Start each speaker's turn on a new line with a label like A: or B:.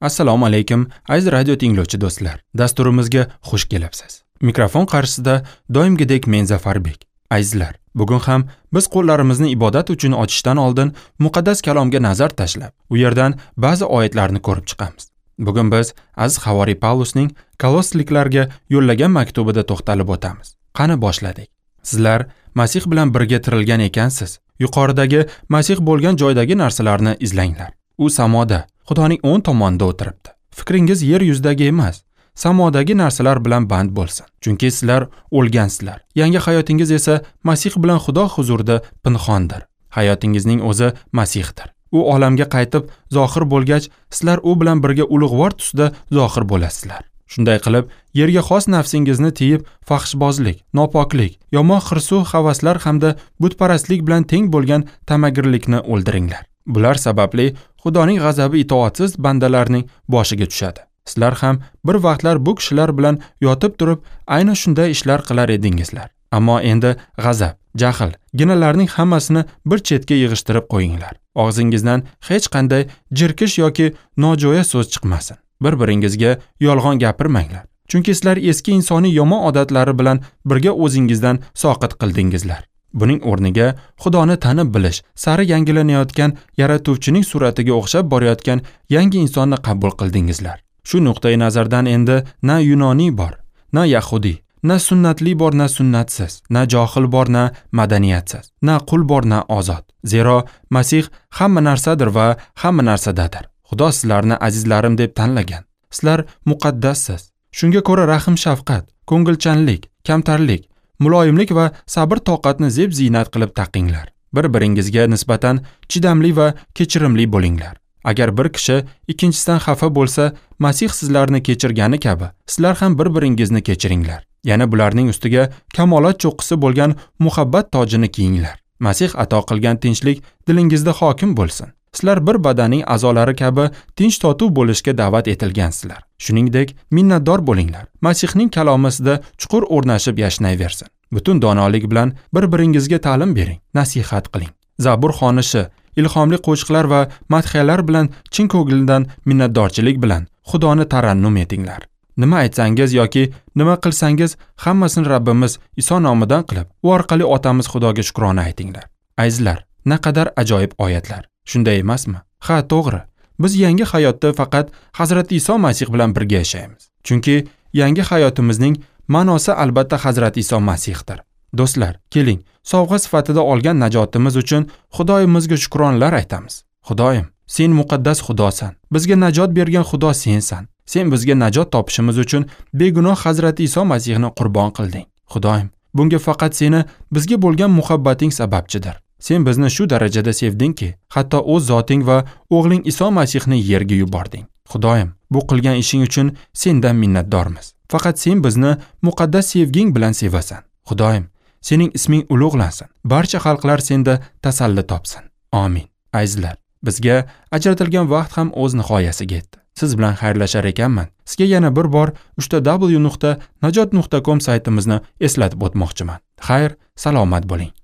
A: Assalomu alaykum, aziz radio tinglovchi do'stlar. Dasturimizga xush kelibsiz. Mikrofon qarshisida doimgidek men Zafarbek. Azizlar, bugun ham biz qo'llarimizni ibodat uchun ochishdan oldin muqaddas kalomga nazar tashlab, u yerdan ba'zi oyatlarni ko'rib chiqamiz. Bugun biz aziz havoriy Pavlusning Kolosliklarga yo'llagan maktubida to'xtalib o'tamiz. Qani boshladik. Sizlar Masih bilan birga tirilgan ekansiz. Yuqoridagi Masih bo'lgan joydagi narsalarni izlanglar. U samoda, Xudoning o'ng tomonida o'tiribdi. Fikringiz yer yuzidagi emas, samodagi narsalar bilan band bo'lsin. Chunki sizlar o'lgansizlar. Yangi hayotingiz esa Masih bilan Xudo huzurida pinhondir. Hayotingizning o'zi Masihdir. U olamga qaytib zohir bo'lgach, sizlar u bilan birga ulug'vor tusda zohir bo'lasizlar. Shunday qilib, yerga xos nafsingizni tiyib, fahshbozlik, nopoklik, yomon hirsu havaslar hamda butparastlik bilan teng bo'lgan tamagirlikni o'ldiringlar. Bular sababli Xudoning g'azabi itoatsiz bandalarning boshiga tushadi. Sizlar ham bir vaqtlar bu kishilar bilan yotib turib, ayni shunday ishlar qilar edingizlar. Ammo endi g'azab, jahl, ginalarning hammasini bir chetga yig'ishtirib qo'yinglar. Og'zingizdan hech qanday jirkish yoki nojo'ya so'z chiqmasin. Bir-biringizga yolg'on gapirmanglar. Chunki sizlar eski insoniy yomon odatlari bilan birga o'zingizdan soqit qildingizlar. Buning o'rniga Xudoni tanib bilish, sari yangilanayotgan yaratuvchining suratiga o'xshab borayotgan yangi insonni qabul qildingizlar. Shu nuqtai nazardan endi na yunoniy bor, na yahudiy, na sunnatli bor, na sunnatsiz, na johil bor, na madaniyatsiz, na qul bor, na ozod. Zero Masih hamma narsadir va hamma narsadadir. Xudo sizlarni azizlarim deb tanlagan. Sizlar muqaddassiz. Shunga ko'ra rahim-shafqat, ko'ngilchanlik, kamtarlik, muloyimlik va sabr-toqatni zeb-ziynat qilib taqinglar. Bir-biringizga nisbatan chidamli va kechirimli bo'linglar. Agar bir kishi ikkinchisidan xafa bo'lsa, Masih sizlarni kechirgani kabi, sizlar ham bir-biringizni kechiringlar. Yana bularning ustiga kamolat cho'qqisi bo'lgan muhabbat tojini kiyinglar. Masih ato qilgan tinchlik dilingizda hokim bo'lsin. Sizlar bir badanning a'zolari kabi tinch totuv bo'lishga da'vat etilgansizlar. Shuningdek, minnatdor bo'linglar. Masihning kalomi sizda chuqur o'rnashib yashnayversin. Butun donolik bilan bir-biringizga ta'lim bering, nasihat qiling. Zabur xonishi, ilhomli qo'shiqlar va madhiyalar bilan chin ko'ngildan minnatdorchilik bilan Xudoni tarannum etinglar. Nima aytsangiz yoki nima qilsangiz, hammasini Rabbimiz Iso nomidan qilib, u orqali Otamiz Xudoga shukrona aytinglar. Azizlar, naqadar ajoyib oyatlar. Shunday emasmi? Ha, to'g'ri. Biz yangi hayotda faqat Hazrati Iso Masih bilan birga yashaymiz. Chunki yangi hayotimizning ma'nosi albatta Hazrati Iso Masihdir. Do'stlar, keling, sovg'a sifatida olgan najotimiz uchun Xudoyimizga shukronlar aytamiz. Xudoyim, sen muqaddas Xudosan. Bizga najot bergan Xudo sensan. Sen bizga najot topishimiz uchun begunoh Hazrati Iso Masihni qurbon qilding. Xudoyim, bunga faqat seni bizga bo'lgan muhabbating sababchidir. Sen bizni shu darajada sevdingki, hatto o'z zoting va o'g'ling Iso Masihni yerga yubording. Xudoyim, bu qilgan ishing uchun sendan minnatdormiz. Faqat sen bizni muqaddas sevging bilan sevasan. Xudoyim, sening isming ulug'lansin. Barcha xalqlar senda tasalli topsin. Amin. Azizlar, bizga ajratilgan vaqt ham o'z nihoyasiga yetdi. Siz bilan xayrlashar ekanman. Sizga yana bir bor www.najot.com saytimizni eslatib o'tmoqchiman. Xayr, salomat bo'ling.